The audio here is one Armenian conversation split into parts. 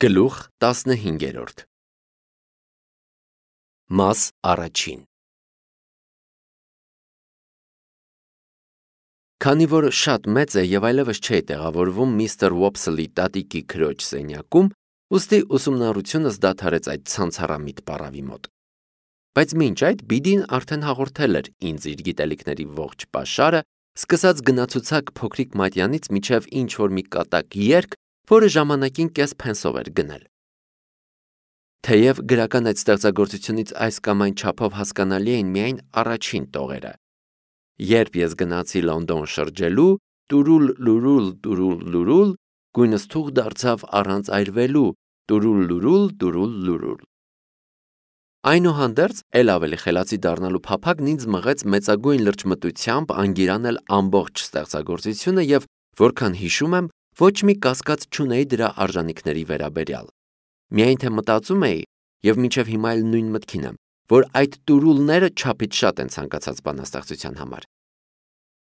Գլուխ 15 Մաս առաջին Քանի որ շատ մեծ է և այլևս չէի տեղավորվում միստր Ուոփսլի տատիկի քրոջ սենյակում, ուստի ուսումնառությունս դադարեց այդ ցանցառամիտ պառավի մոտ։ Բայց մինչ այդ Բիդին արդեն հաղորդել էր ինձ իր գիտելիքների ողջ պաշարը, սկսած գնացուցակ փոքրիկ մատյանից մինչև ինչ-որ մի կատակ երգ, որը ժամանակին կես փենսով էր գնել։ Թեև գրական այդ ստեղծագործությունից այս կամ այն չափով հասկանալի էին միայն առաջին տողերը։ Երբ ես գնացի Լոնդոն շրջելու, տուրուլ, գույնս թուղ դարձավ առանց այրվելու, տուրուլ։ Այնուհանդերձ, էլ ավելի խելացի դառնալու փափագն ինձ մղեց մեծագույն լրջմտությամբ անգիրանել ամբողջ ստեղծագործությունը և, որքան հիշում եմ, ոչ մի կասկած չունեի դրա արժանիքների վերաբերյալ։ Միայն թե մտածում էի, և մինչև հիմա էլ նույն մտքին եմ, որ այդ տուրուլները չափից շատ են ցանկացած բանաստեղծության համար։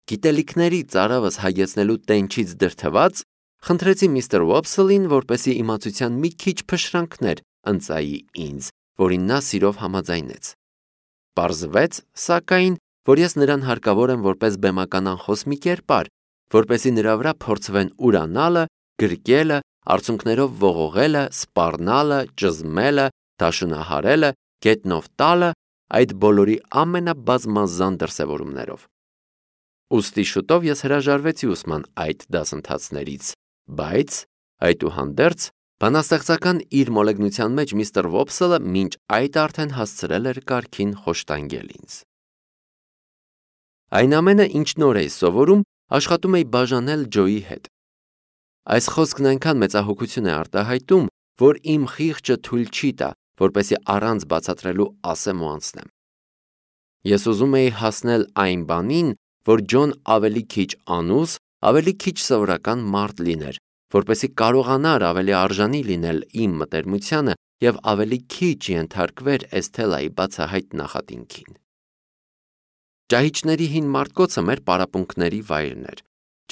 Գիտելիքների ծարավս հագեցնելու տենչից դրդված, խնդրեցի միստր Ուոփսլին, որպեսզի իմացության մի քիչ փշրանքներ ընծայի ինձ, որին նա սիրով համաձայնեց։ Պարզվեց, սակայն, որ ես նրան հարկավոր եմ որպես բեմական անխոս մի կերպար, որպեսզի նրա վրա փորձվեն ուրանալը, գրկելը, արցունքներով ողողելը, սպառնալը, ճզմելը, դաշնահարելը, գետնով տալը, այդ բոլորի ամենաբազմազան դրսևորումներով։ Ուստի շուտով ես հրաժարվեցի ուսման այդ դասընթացներից, բայց, այդուհանդերձ, բանաստեղծական իր մոլեգնության մեջ միստր Ուոփսլը մինչ այդ արդեն հասցրել էր կարգին խոշտանգել ինձ։ Այն ամենը, ինչ նոր էի սովորում, աշխատում էի բաժանել Ջոյի հետ։ Այս խոսքն այնքան մեծահոգություն է արտահայտում, որ իմ խիղճը թույլ չի տա, որպեսզի առանց բացատրելու ասեմ ու անցնեմ։ Ես ուզում էի հասնել այն բանին, որ Ջոն ավելի քիչ անուս, ավելի քիչ սովորական մարդ լիներ, որպեսզի կարողանար ավելի արժանի լինել իմ մտերմությանը և ավելի քիչ ենթարկվեր Էսթելայի բացահայտ նախատինքին։ Ճահիճների հին մարտկոցը մեր պարապմունքների վայրն էր։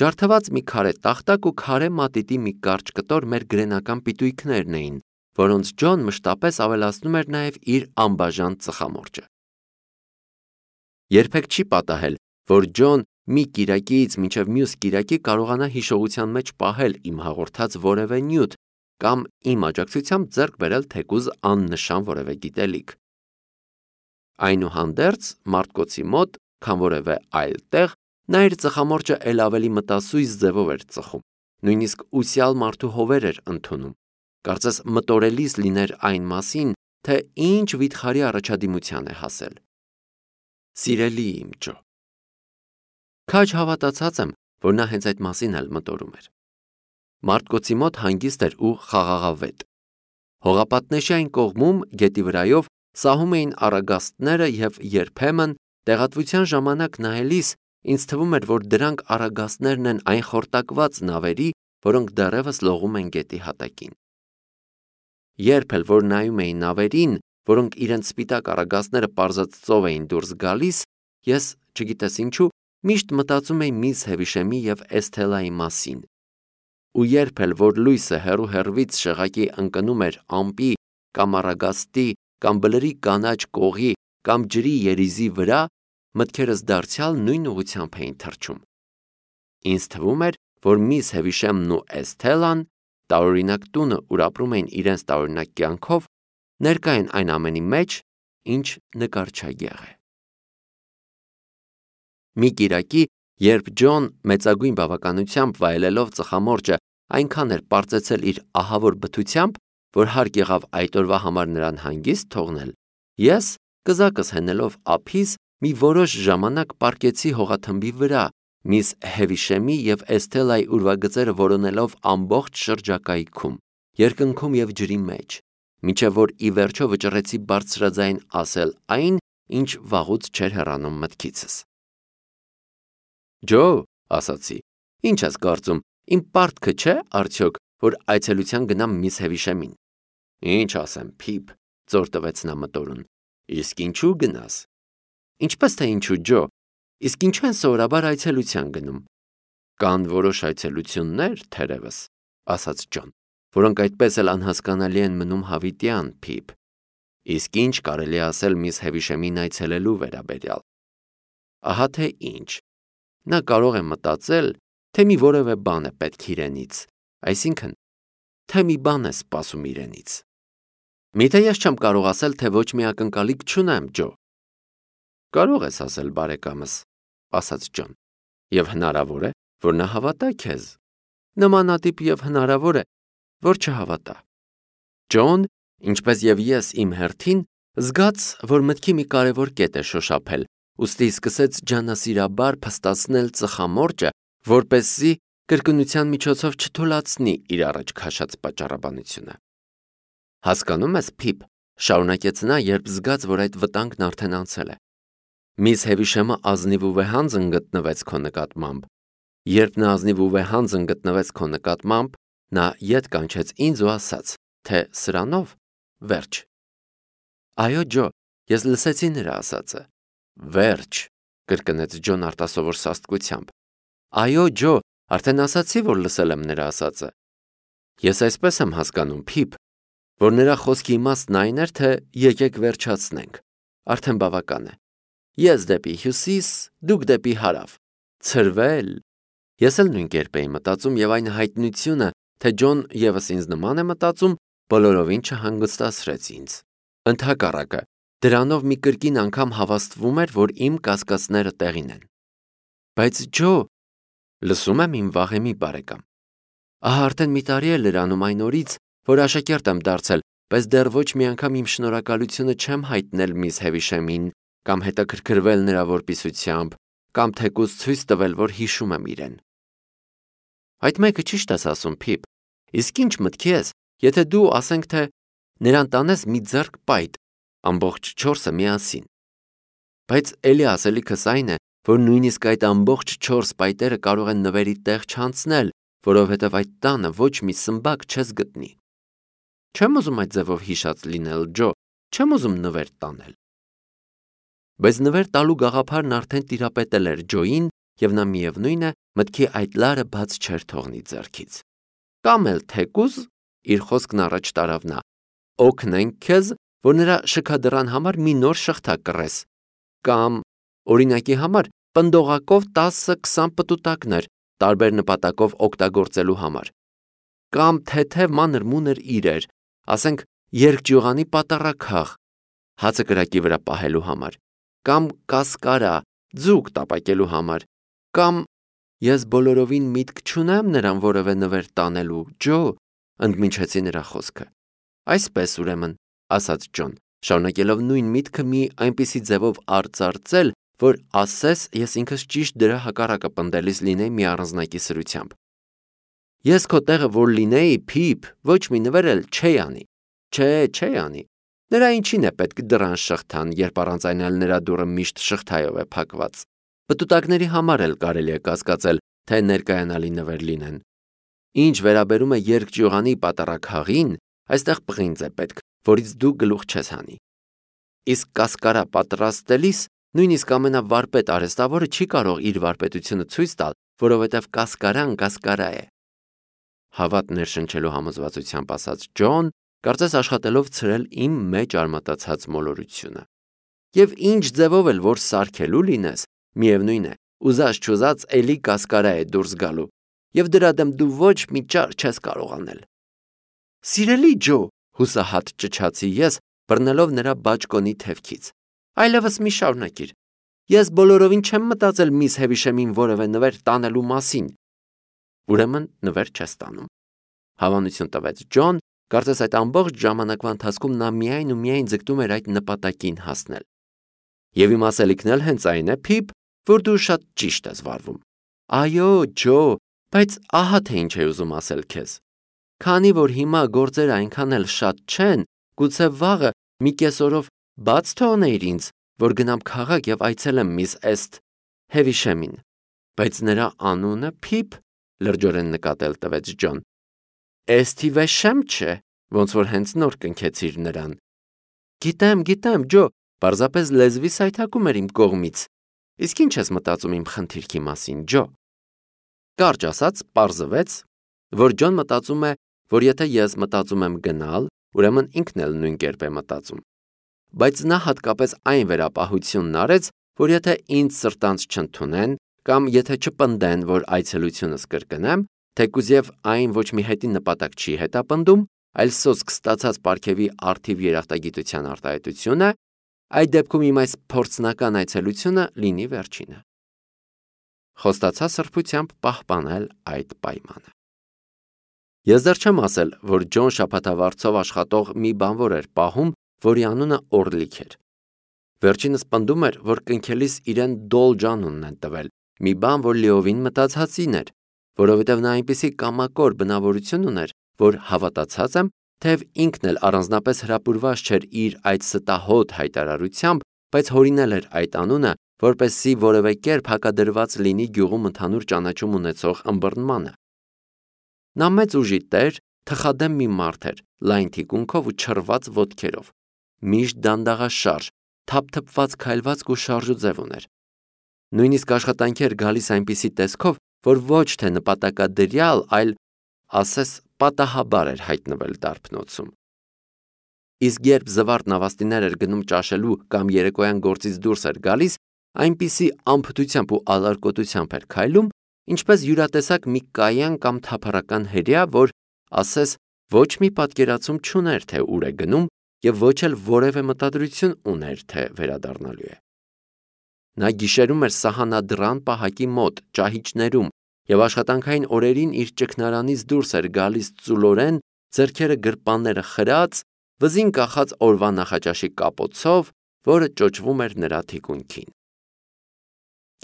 Ջարդված մի քարե տախտակ ու քարե մատիտի մի կարճ կտոր մեր գրենական պիտույքներն էին, որոնց Ջոն մշտապես ավելացնում էր նաև իր անբաժան ծխամորճը։ Երբեք չի պատահել, որ Ջոն մի կիրակից մինչև մյուս կիրակի կարողանա հիշողության մեջ պահել իմ հաղորդած որևէ նյութ կամ իմ աջակցությամբ ձեռք բերել թեկուզ աննշան որևէ գիտելիք։ Այնուհանդերձ, մարտկոցի մոտ, քան որևէ այլ տեղ, նա իր ծխամորճը էլ ավելի մտասույզ ձևով էր ծխում, նույնիսկ ուսյալ մարդու հովեր էր ընդունում, կարծես մտորելիս լիներ այն մասին, թե ինչ վիթխարի առաջադիմության է հասել։ Սիրելի իմ Ջո, քաջ հավատացած եմ, որ նա հենց այդ մասին էլ մտորում էր։ Մարտկոցի մոտ հանգիստ էր ու խաղաղավետ։ Հողապատնեշի այն կողմում, գետի վրայով, սահում էին առագաստները և երբեմն, տեղատվության ժամանակ նայելիս, ինձ թվում էր, որ դրանք առագաստներն են այն խորտակված նավերի, որոնք դեռևս լողում են գետի հատակին։ Երբ էլ որ նայում էի նավերին, որոնք իրենց սպիտակ առագաստները պարզած ծով էին դուրս գալիս, ես, չգիտես ինչու, միշտ մտածում էի միզ Հևիշեմի և Էսթելայի մասին։ Ու երբ էլ որ լույսը հեռու-հեռվից շեղակի ընկնում էր ամպի կամ առագաստի կամ բլրի կանաչ կողի կամ ջրի երիզի վրա, մտքերս դարձյալ նույն ուղղությամբ էին թռչում։ Ինձ թվում էր, որ միս Հևիշեմն ու Էսթելան, տարօրինակ տունը, ուր ապրում էին իրենց տարօրինակ կյանքով, ներկա են այն ամենի մեջ, ինչ նկարչագեղ է։ Մի կիրակի, երբ Ջոն մեծագույն բավականությամբ վայելելով ծխամորճը այնքան էր պարծեցել իր ահավոր բթությամբ, որ հարկ եղավ այդ օրվա համար նրան հանգիստ թողնել, ես, կզակս հենելով ափիս, մի որոշ ժամանակ պառկեցի հողաթմբի վրա, միս Հևիշեմի և Էսթելայի ուրվագծերը որոնելով ամբողջ շրջակայքում, երկնքում և ջրի մեջ, մինչև որ ի վերջո վճռեցի բարձրաձայն ասել այն, ինչ վաղուց չէր հեռանում մտքիցս։ Ջո, ասացի, ինչ ես կարծում, իմ պարտքը չէ, արդյոք, որ այցելության գնամ միս Հևիշեմին։ Ինչ ասեմ, Փիփ, ծոր տվեց նա մտորուն, իսկ ինչու գնաս։ Ինչպես թե ինչու, Ջո, իսկ ինչու են սովորաբար այցելության գնում։ Կան որոշ այցելություններ, թերևս, ասաց Ջոն, որոնք այդպես էլ անհասկանալի են մնում հավիտյան, Փիփ։ Իսկ ինչ կարելի ասել միս Հևիշեմին այցելելու վերաբերյալ։ Ահա թե ինչ։ Նա կարող է մտածել, թե մի որևէ բան է պետք իրենից, այսինքն, թե մի բան է սպասում իրենից։ Միթե ես չեմ կարող ասել, թե ոչ մի ակնկալիք չունեմ, Ջո։ Կարող ես ասել, բարեկամս, ասաց Ջոն, եւ հնարավոր է, որ նա հավատա քեզ։ Նմանատիպ եւ հնարավոր է, որ չհավատա։ Ջոն, ինչպես եւ ես իմ հերթին, զգաց, որ մտքի մի կարևոր կետ է շոշափել, ուստի սկսեց ջանասիրաբար փստացնել ծխամորճը, որպեսզի կրկնության միջոցով չթուլացնի իր առաջ քաշած պատճառաբանությունը։ Հասկանում ես, Փիփ, շարունակեց նա, երբ զգաց, որ այդ վտանգն արդեն անցել է։ Միս Հևիշեմը ազնիվ ու վեհանձն գտնվեց քո նկատմամբ։ Երբ նա ազնիվ ու վեհանձն գտնվեց քո նկատմամբ, նա ետ կանչեց ինձ ու ասաց, թե սրանով վերջ։ Այո, Ջո, ես լսեցի նրա ասածը։ Վերջ, կրկնեց Ջոն արտասովոր սաստկությամբ։ Այո, Ջո, արդեն ասացի, որ լսել եմ նրա ասածը։ Ես այսպես եմ հասկանում, Փիփ, որ նրա խոսքի իմաստն այն էր, թե եկեք վերջացնենք։ Արդեն բավական է։ Ես դեպի հյուսիս, դուք դեպի հարավ։ Ցրվել։ Ես էլ նույն կերպ էի մտածում եւ այն հայտնությունը, թե Ջոն եւս ինձ նման է մտածում, բոլորովին չհանգստացրեց ինձ։ Ընդհակառակը, դրանով մի կրկին անգամ հավաստվում էր, որ իմ կասկածները տեղին են։ Բայց Ջո, լսում եմ իմ վաղեմի բարեկամ։ Ահա արդեն մի տարի է լրանում այն օրից, որ աշակերտ եմ դարձել, բայց դեռ ոչ մի անգամ իմ շնորհակալությունը չեմ հայտնել միս Հևիշեմին, կամ հետաքրքրվել նրա որպիսությամբ, կամ թեկուզ ցույց տվել, որ հիշում եմ իրեն։ Այդ մեկը ճիշտ ես ասում, Փիփ, իսկ ինչ մտքի ես, եթե դու ասենք, թե նրան տանես մի ձեռք պայտ, ամբողջ 4-ը միասին։ Բայց էլի ասելիքս այն է, որ նույնիսկ այդ ամբողջ 4 պայտերը կարող են նվերի տեղ չանցնել, որովհետև այդ տանը ոչ մի սմբակ չես գտնի։ Չեմ ուզում այդ ձևով հիշած լինել, Ջո, չեմ ուզում նվեր տանել։ Բայց նվեր տալու գաղափարն արդեն տիրապետել էր Ջոյին, եւ նա միևնույն է, մտքի այդ լարը բաց չէր թողնի ձեռքից։ Կամ էլ թեկուզ, իր խոսքն առաջ տարավ նա, օգնենք քեզ, որ նրա շքադրան համար մի նոր շղթա կռես, կամ օրինակի համար պնդողակով 10-20 պտուտակներ տարբեր նպատակով օգտագործելու համար, կամ թեթև մանր-մունր իրեր, ասենք երկճյուղանի պատառաքաղ, հացը կրակի վրա պահելու համար, կամ կասկարա, ձուկ տապակելու համար, կամ ես բոլորովին միտք չունեմ նրան որևէ նվեր տանելու, Ջո, ընդմիջեցի նրա խոսքը։ Այսպես ուրեմն, ասաց Ջոն, շարունակելով նույն միտքը մի այնպիսի ձևով արծարծել, որ ասես ես ինքս ճիշտ դրա հակառակը պնդելիս լինեի մի առանձնակի սրությամբ։ Ես քո տեղը որ լինեի, Փիփ, ոչ մի նվեր էլ չի անի։ Չէ անի։ Նրա ինչին է պետք դրան շղթան, երբ առանց այն էլ նրա դուռը միշտ շղթայով է փակված։ Պտուտակների համար էլ կարելի է կասկածել, թե ներկայանալի նվեր լինեն։ Ինչ վերաբերում է երկճյուղանի պատառաքաղին, այստեղ պղինձ է պետք, որից դու գլուխ չես հանի։ Իսկ կասկարա պատրաստելիս նույնիսկ ամենավարպետ արհեստավորը չի կարող իր վարպետությունը ցույց տալ, որովհետև կասկարան կասկարա է։ Հավատ ներշնչելու համոզվածությամբ ասաց Ջոն, կարծես աշխատելով ցրել իմ մեջ արմատացած մոլորությունը։ Եվ ինչ ձևով էլ որ սարքելու լինես, միևնույն է, ուզած-չուզած էլի կասկարա է դուրս գալու, եւ դրա դեմ դու ոչ մի ճար չես կարող անել։ Սիրելի Ջո, հուսահատ ճչացի ես, բռնելով նրա բաճկոնի թևքից։ Այլևս մի շարունակիր։ Ես բոլորովին չեմ մտածել միս Հևիշեմին որևէ նվեր տանելու մասին։ Ուրեմն նվեր չես տանում։ Հավանություն տվեց Ջոն, կարծես այդ ամբողջ ժամանակվա ընթացքում նա միայն ու միայն ձգտում էր այդ նպատակին հասնել։ Եվ իմ ասելիքն էլ հենց այն է, Փիփ, որ դու շատ ճիշտ ես վարվում։ Այո, Ջո, բայց ահա թե ինչ է ուզում ասել քեզ։ Քանի որ հիմա գործերը այնքան էլ շատ չեն, գուցե վաղը մի կեսօրով բաց թողնեիր ինձ, որ գնամ քաղաք եւ այցելեմ միս Հևիշեմին։ Բայց նրա անունը Փիփ, լրջորեն նկատել տվեց Ջոն։ Վեշեմ չէ, ոնց որ հենց նոր կնքեցիր նրան։ Գիտեմ, Ջո, պարզապես լեզվի սայթակում էր իմ կողմից։ Իսկ ինչ ես մտածում իմ խնդիրքի մասին, Ջո։ Կարճ ասած, պարզվեց, որ Ջոն մտածում է որ եթե ես մտածում եմ գնալ, ուրեմն ինքն էլ նույն կերպ է մտածում։ Բայց նա հատկապես այն վերապահությունն արեց, որ եթե ինձ սրտանց չընդունեն կամ եթե չպնդեն, որ այցելությունս կրկնեմ, թեկուզ եւ այն ոչ մի հետին նպատակ չի հետապնդում, այլ սոսկ ստացած պարգևի արդիվ երախտագիտության արտահայտություն է, այդ դեպքում իմ այս փորձնական այցելությունը լինի վերջինը։ Խոստացա սրբությամբ պահպանել այդ պայմանը։ Ես դեռ չեմ ասել, որ Ջոն շաբաթավարձով աշխատող մի բանվոր էր պահում, որի անունը Օրլիք էր։ Վերջինս պնդում էր, որ կնքելիս իրեն Դոլ Ջանունն են տվել, մի բան, որ լիովին մտածածին էր, որովհետև նա այնպիսի կամակոր բնավորություն ուներ, որ հավատացած եմ, թեև ինքն էլ առանձնապես հրապուրված չէր իր այդ ստահոդ հայտարարությամբ, բայց հորինել էր այդ անունը, որպեսզի որևէ կերպ հակադրված լինի գյուղում ընդհանուր ճանաչում ունեցող ըմբռնմանը։ Նա մեծ ուժի տեր, թխադեմ մի մարդ էր, լայն թիկունքով ու չռված ոտքերով, միշտ դանդաղաշարժ, թափթփված քայլվածք ու շարժուձև ուներ։ Նույնիսկ աշխատանքի էր գալիս այնպիսի տեսքով, որ ոչ թե նպատակադրյալ, այլ ասես պատահաբար էր հայտնվել դարբնոցում։ Իսկ երբ զվարթ նավաստիներ էր գնում ճաշելու կամ երեկոյան գործից դուրս էր գալիս, այնպիսի անփթությամբ ու ալարկոտությամբ էր քայլում, ինչպես յուրատեսակ մի կայան կամ թափառական հրեա, որ ասես ոչ մի պատկերացում չուներ, թե ուր է գնում, եւ ոչ էլ որևէ մտադրություն ուներ, թե վերադառնալու է։ Նա գիշերում էր սահանադրան պահակի մոտ, ճահիճներում, եւ աշխատանքային օրերին իր ճգնարանից դուրս էր գալիս ծուլորեն, ձեռքերը գրպանները խրած, վզին կախած օրվա նախաճաշի կապոցով, որը ճոճվում էր նրա թիկունքին։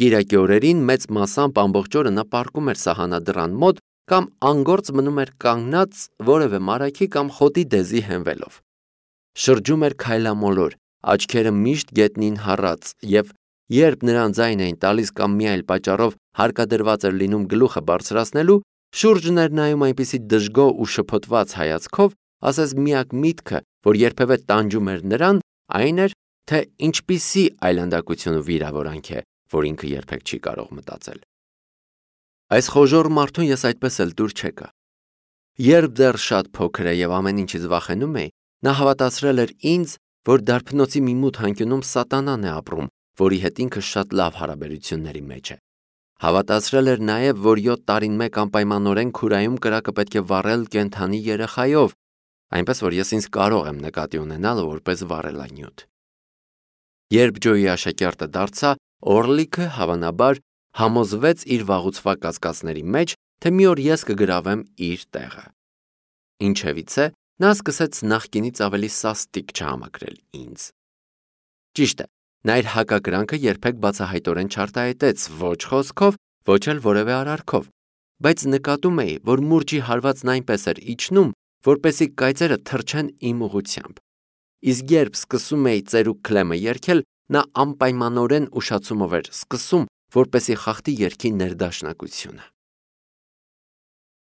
Կիրակի օրերին մեծ մասամբ ամբողջ օրը նա պառկում էր սահանադրան մոտ կամ անգործ մնում էր կանգնած որևէ մարագի կամ խոտի դեզի հենվելով։ Շրջում էր քայլամոլոր, աչքերը միշտ գետնին հառած, եւ երբ նրան ձայն էին տալիս կամ մի այլ պատճառով հարկադրված էր լինում գլուխը բարձրացնելու, շուրջն էր նայում այնպիսի դժգոհ ու շփոթված հայացքով, ասես միակ միտքը, որ երբևէ տանջում էր նրան, այն էր, թե ինչպիսի այլանդակություն ու վիրավորանք է, որ ինքը երբեք չի կարող մտածել։ Այս խոժոռ մարդուն ես այդպես էլ դուր չեկա։ Երբ դեռ շատ փոքր է եւ ամեն ինչից վախենում էի, նա հավատացրել էր ինձ, որ դարբնոցի մի մութ անկյունում սատանան է ապրում, որի հետ ինքը շատ լավ հարաբերությունների մեջ է։ Հավատացրել էր նաև, որ 7 տարին մեկ անպայմանորեն քուրայում կրակը պետք է վառել կենդանի երեխայով, այնպես որ ես ինձ կարող եմ նկատի ունենալ որպես վառելանյութ։ Երբ Ջոյի աշակերտը դարձա, Օրլիքը հավանաբար համոզվեց իր վաղուցվա կասկածների մեջ, թե մի օր ես կգրավեմ իր տեղը։ Ինչևիցե, նա սկսեց նախկինից ավելի սաստիկ չհամակրել ինձ։ Ճիշտ է, նա իր հակակրանքը երբեք բացահայտորեն չարտահայտեց ոչ խոսքով, ոչ էլ որևէ արարքով, բայց նկատում էի, որ մուրճի հարվածն այնպես էր իջնում, որպեսզի կայծերը թռչեն իմ ուղությամբ։ Իսկ երբ սկսում էի ծերուկ քլեմը երգել, նա անպայմանորեն ուշացումով էր սկսում, որպեսզի խախտի երգի ներդաշնակությունը։